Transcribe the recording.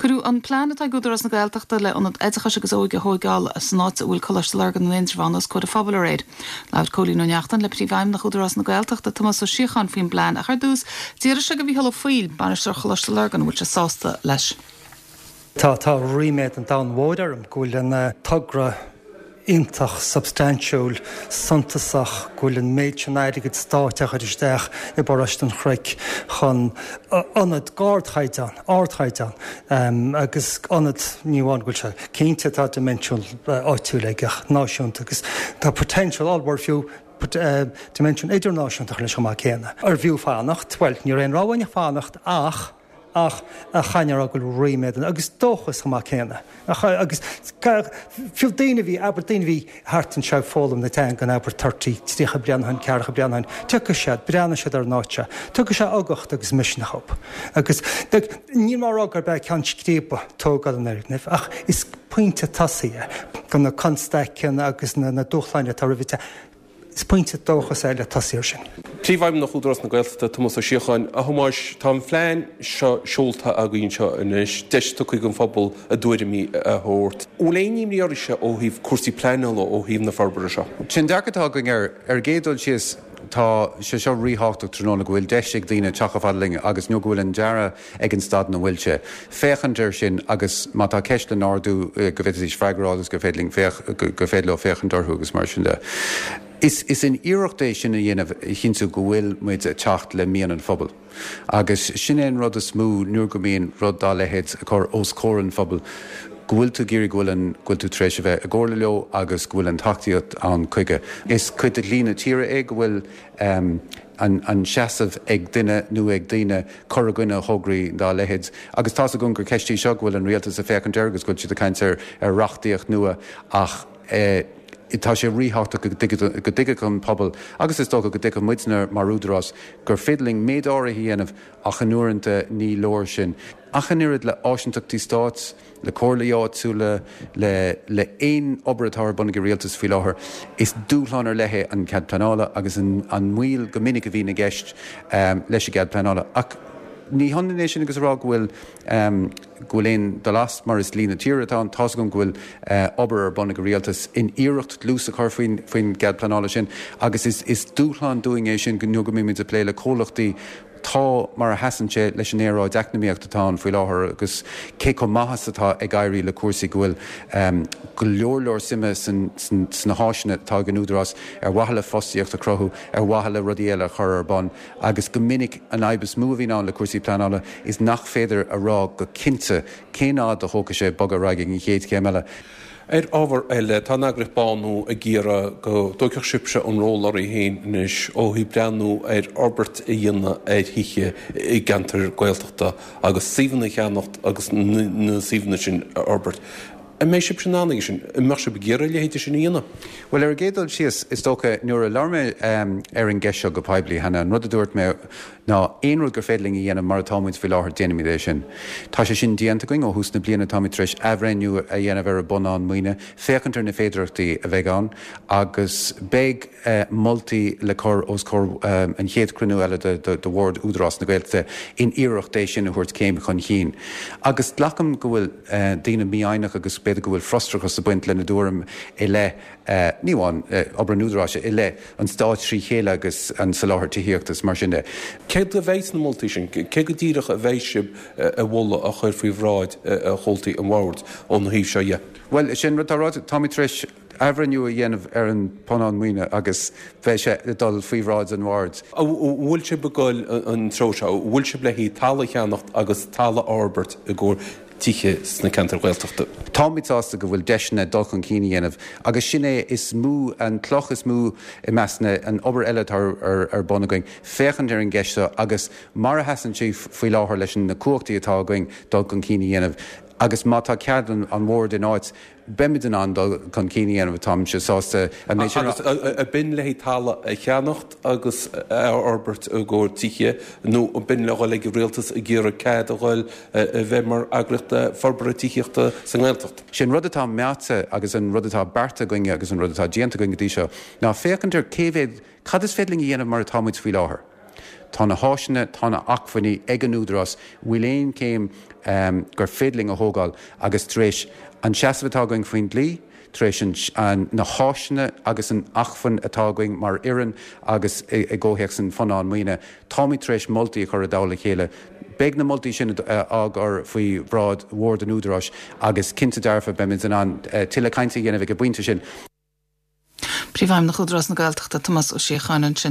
Cuireadh an plean atá ag Údarás na Gaeltachta le ionad oideachais agus óige a thóigeáil san áit a bhfuil Coláiste Lurgan in Indreabhán os comhair an phobail aréir. Labhair Cóilín Ó Neachtain le Príomhfheidhmeannach Údarás na Gaeltachta, Tomás Ó Síocháin faoin bplean ach ar dtús, d'fhiafraigh sé de Mhícheál Ó Foighil, Bainisteoir Choláiste Lurgan, an bhfuil sé sásta leis. Tá, tá ríméad an domhain mhóir orm go bhfuil an togra iontach substaintiúil, suntasach, go bhfuil an méid sin airgead stáit á chur isteach i bParóiste an Chnoic chun ionad d'ardchaighdeán, ardchaighdeán, agus ionad, ní amháin go bhfuil sé, cinnte tá dimension áitiúil aige ach náisiúnta agus tá potential ollmhór fiú dimension idirnáisiúnta leis chomh maith céanna. Arbh fhiú fanacht? Bhuel, ní raibh aon rogha againn ach fanacht ach, ach caithfidh mé a rá go bhfuil ríméad ann agus dóchas chomh maith céanna. Agus fiú daoine a bhí, abair, daoine a bhí thart anseo ag foghlaim na teangan, abair, 30, 30 bliain ó shin, ceathracha bliain ó shin, tiocfaidh siad, breathnóidh siad ar an áit seo, tiocfaidh sé uchtach agus misneach dhóibh. Agus níl mé á rá gurb é ceann scríbe tógáil an fhoirgnimh ach is pointe tosaigh é do na constaiceanna agus na dúshláin atá roimh an Is pointe dóchais é le tosaí air sin. Príomhfheidhmeannach Údarás na Gaeltachta, Tomás Ó Síocháin, A Thomáis, tá an phlean seo seolta againn anseo anois, deis tugtha don phobal a dtuairimí a thabhairt. An bhfuil aon imní oraibhse ó thaobh cúrsaí pleanála ó thaobh na forbartha seo? Sin dearcadh atá againn air. Ar an gcéad dul síos, tá sé seo ríthábhachtach tráthnóna go bhfuil deis ag daoine teacht chomh fada linn agus nó go bhfuil an dearadh ag an staid ina bhfuil sé, féachaint air sin agus má tá ceist le n-ardú go bhféadfaidís freagra a fháil agus gur féidir linn féach, gur féidir leo féachaint orthu agus mar sin de. Is, is in iarracht é sin a dhéanamh a chinntiú go bhfuil muid ag teacht le mian an phobail. Agus sin é an rud is mó nuair go mbíonn rud dá leithéid ag cur os comhair an phobail, go bhfuil tú ag iarraidh go bhfuil an, go bhfuil tú tar éis a bheith i gcomhairle leo agus go bhfuil an tacaíocht ann chuige. Is cuid de dhlí na tíre é go bhfuil an seasamh ag duine nó ag daoine cur i gcoinne thograí dá leithéid. Agus tá's agam gur ceist í seo go bhfuil an rialtas ag féachaint air agus go bhfuil siad ag caint ar reachtaíocht nua ach tá sé ríthábhachtach go dtuigfeadh an pobal agus is dócha go dtuigfeadh muidne mar údarás gur féidir linn méid áirithe a dhéanamh ach in uaireanta ní leor sin. Ach an oiread le áisinteachtaí stáit, le comhairlí áitiúla, le le aon obair atá ar bun ag an rialtas faoi láthair. Is dúshlán ar leith é an cead pleanála agus an an moill go minic a bhíonn i gceist leis an gcead pleanála. Ach ní hionann é sin agus a rá go bhfuil go bhfuil aon dul as mar is dlí na tíre atá ann. Tá's agam go bhfuil obair ar bun ag an rialtas in iarracht dlús a chur faoin faoin gcead pleanála sin agus is is dúshlán dúinn é sin nuair go mbímid ag plé le comhlachtaí Tá, mar a sheasann sé leis an aeráid eacnamaíocht atá ann faoi láthair agus cé chomh maith is atá ag éirí le cúrsaí go bhfuil go leor leor suime sna háiseanna atá ag an Údarás ar mhaithe le fostaíocht a chruthú, ar mhaithe le rudaí eile a chur ar bun agus go minic an fhadhb is mó a bhíonn ann le cúrsaí pleanála is nach féidir a rá go cinnte cén fhad a thógfaidh sé bogadh ar aghaidh ag an chéad chéim eile. Ar ábhar eile, tá an eagraíocht Bánú ag iarraidh go dtógfadh sibhse an ról oraibh féin anois ó thaobh breathnú ar fhorbairt a dhéanamh ar thithe i gceantair Gaeltachta agus suíomhanna a cheannacht agus na suíomhanna sin a fhorbairt. An mbeidh sibhse in ann aige sin? An mbeadh sibh ag iarraidh a leithéide sin a dhéanamh? Bhuel, ar an gcéad dul síos, is dócha, nuair a labhair mé ar an gceist seo go poiblí cheana, an rud a dúirt mé ná aon rud gur féidir linn a dhéanamh mar atá muid faoi láthair, déanfaimid é sin. Tá sé sin déanta againn ó thús na bliana, táimid tar éis athbhreithniú a dhéanamh ar an bpunann maoine, féachaint ar na féidearthachtaí a bheidh ann agus beidh moltaí le cur os comhair an chéad chruinniú eile de Bhord Údarás na Gaeltachta in iarracht é sin a thabhairt céim chun chinn. Agus glacaim go bhfuil daoine mífhoighneach agus b'fhéidir go bhfuil frustrachas ag baint lena dtuairim i leith, ní amháin obair an Údaráis, i leith an stáit trí chéile agus an soláthar tithíochta is mar sin de. Céard a bheidh sna moltaí sin? Cé go díreach a bheidh sibh a mholadh a chur faoi bhráid chomhaltaí an bhoird ón thaobh seo dhe? Bhuel, sin rud atá ráite. Táimid tar éis athbhreithniú a dhéanamh ar an bpunann maoine agus beidh sé ag dul faoi bhráid an bhoird. An bhfuil sibh ag dul an treo seo? An bhfuil sibh le haghaidh talamh a cheannacht agus talamh a fhorbairt i gcomhair tithe sna ceantair Ghaeltachta? Táimid sásta go bhfuil deiseanna dul chun cinn a dhéanamh agus sin é is mó, an cloch is mó i measc na, an obair eile atá ar bun againn, féachaint ar an gceist seo agus mar a sheasann sí faoi láthair leis na cumhachtaí atá againn dul chun cinn a dhéanamh agus má tá cead an bhoird in áit, beimid in ann dul chun cinn a dhéanamh, táimse sásta an méid sin a rá. Agus an b'in le haghaidh talamh a cheannacht agus a fhorbairt i gcomhair tithe nó an b'in le dhul ag an rialtas ag iarraidh cead a dhul a bheith mar eagraíocht forbartha tithíochta sa nGaeltacht? Sé an rud atá meáite agus an rud atá beartaithe againne agus an rud atá déanta againn go dtí seo ná féachaint ar cé mhéad, cad is féidir linn a dhéanamh mar atá muid faoi láthair. Tá na háiseanna, tá na acmhainní ag an Údarás, bhfuil aon chéim gur féidir linn a thógáil agus tar éis an seasamh atá againn faoin dlí, tar éis an na háiseanna agus an acmhainn atá againn mar fhoireann agus i gcomhthéacs an phunann maoine, táimid tar éis moltaí a chur i dtoll a chéile. Beidh na moltaí sin á gcur faoi bhráid Bhord an Údaráis agus cinnte dearfa beimid in ann tuilleadh cainte a dhéanamh ag an bpointe sin. Príomhfheidhmeannach Údarás na Gaeltachta, Tomás Ó Síocháin ansin.